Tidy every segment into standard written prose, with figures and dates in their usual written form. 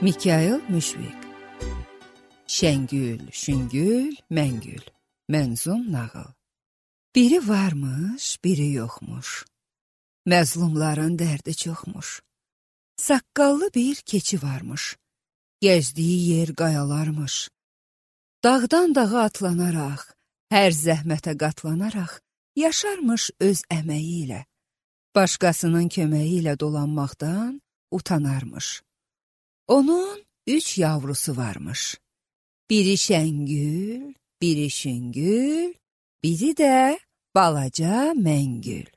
Mikail Müşfiq. Şəngül, şüngül, məngül. Mənzum nağıl. Biri varmış, biri yoxmuş. Məzlumların dərdi çoxmuş. Saqqallı bir keçi varmış. Gəzdiyi yer qayalarmış. Dağdan dağa atlanaraq, hər zəhmətə qatlanaraq, yaşarmış öz əməyi ilə. Başqasının köməyi ilə dolanmaqdan utanarmış. Onun 3 yavrusu varmış. Biri şəngül, biri şüngül, biri də balaca məngül.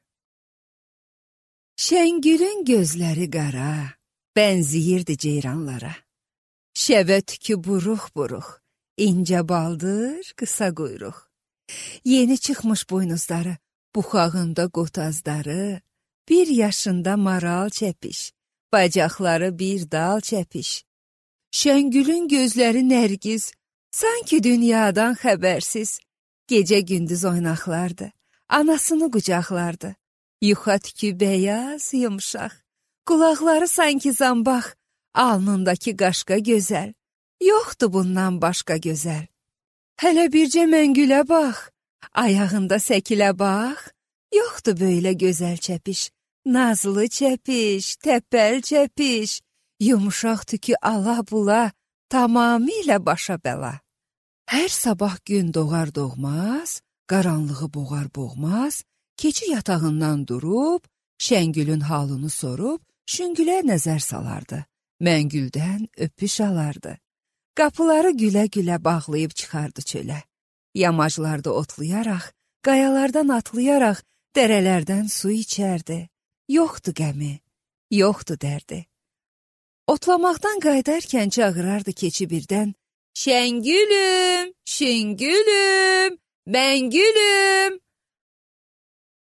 Şəngülün gözləri qara, bənziyirdi ceyranlara. Şəvə tükü buruq-buruq, incə baldır, qısa quyruq. Yeni çıxmış buynuzları, buxağında qotazları, 1 yaşında maral çəpiş, bacaqları bir dal çəpiş. Şəngülün gözləri nərgiz, sanki dünyadan xəbərsiz. Gecə-gündüz oynaqlardı, anasını qucaqlardı. Yuxa tükü bəyaz, yumşaq, qulaqları sanki zambaq, alnındakı qaşqa gözəl. Yoxdur bundan başqa gözəl. Hələ bircə məngülə bax, ayağında səkilə bax. Yoxdur böylə gözəl çəpiş, nazlı çəpiş, təpəl çəpiş. Yumşaq tükü ala-bula, tamamilə başa bəla. Hər sabah gün doğar doğmaz, qaranlığı boğar boğmaz, keçi yatağından durub, Şəngülün halını sorub, şüngülə nəzər salardı. Məngüldən öpüş alardı. Qapıları gülə-gülə bağlayıb çıxardı çölə. Yamaclarda otlayaraq, qayalardan atlayaraq, dərələrdən su içərdi. Yoxdur qəmi, yoxdur dərdi. Otlamaqdan qayıdarkən çağırardı keçi birdən, Şəngülüm, şüngülüm, məngülüm.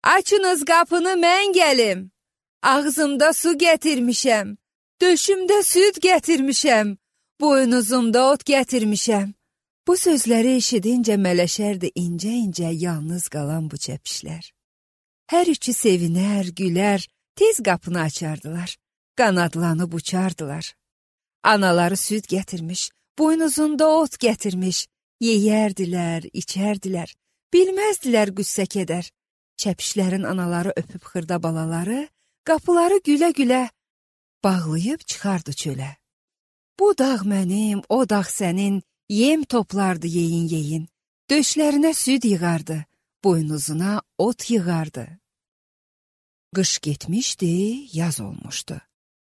Açınız qapını, mən gəlim. Ağzımda su gətirmişəm, döşümdə süd gətirmişəm, boynuzumda ot gətirmişəm. Bu sözləri eşidincə mələşərdi incə-incə yalnız qalan bu çəpişlər. Hər üçü sevinər, gülər, tez qapını açardılar, qanadlanıb uçardılar. Anaları süd gətirmiş, boynuzunda ot gətirmiş, yeyərdilər, içərdilər, bilməzdilər qüssə kədər. Çəpişlərin anaları öpüb xırda balaları, qapıları gülə-gülə bağlayıb çıxardı çölə. Bu dağ mənim, o dağ sənin, yem toplardı yeyin-yeyin, döşlərinə süd yığardı, boynuzuna ot yığardı. Qış getmişdi, yaz olmuşdu.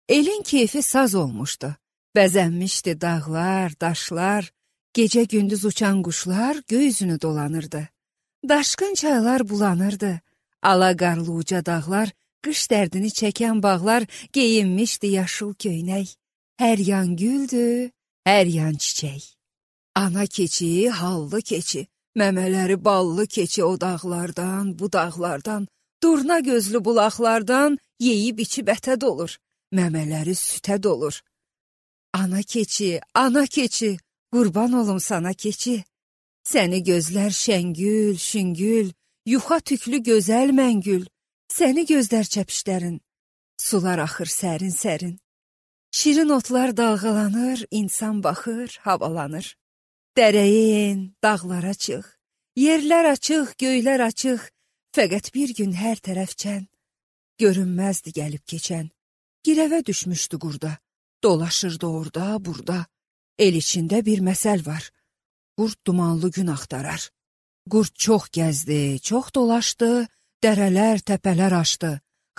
Elin keyfi saz olmuşdu. Bəzənmişdi dağlar, daşlar, gecə-gündüz uçan quşlar göy üzünü dolanırdı. Daşqın çaylar bulanırdı. Ala-qarlı uca dağlar, qış dərdini çəkən bağlar geyinmişdi yaşıl köynək. Hər yan güldü, hər yan çiçək. Ana keçi, hallı keçi, məmələri ballı keçi o dağlardan, bu dağlardan, durna gözlü bulaqlardan yeyib içib ətə dolur, məmələri sütə dolur. Ana keçi, qurban olum sana keçi. Səni gözlər şəngül, şüngül, yuxa tüklü gözəl məngül. Səni gözlər çəpişlərin, sular axır sərin-sərin. Şirin otlar dalğalanır, insan baxır, havalanır. Dərəyin, dağlara çıx, yerlər açıq, göylər açıq. Fəqət bir gün hər tərəfçən, görünməzdi gəlib keçən. Girəvə düşmüşdü qurda, dolaşırdı orada, burada. El içində bir məsəl var. Qurd dumanlı gün axtarar. Qurd çox gəzdi, çox dolaşdı, dərələr, təpələr aşdı.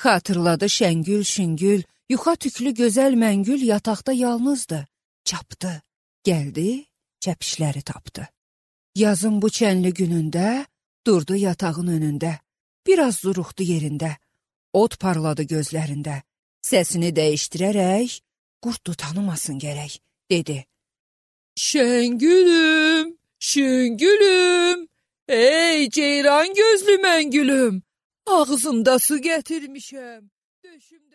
Xatırladı şəngül, şüngül, yuxa tüklü gözəl məngül yataqda yalnızdı. Çapdı, gəldi, çəpişləri tapdı. Yazın bu çənli günündə durdu yatağın önündə. Biraz duruxdu yerində, od parladı gözlərində. Səsini dəyişdirərək, qurd tanımasın gərək, dedi. Şəngülüm, şüngülüm, ey ceyran gözlü məngülüm, ağzımda su gətirmişəm, döşümdə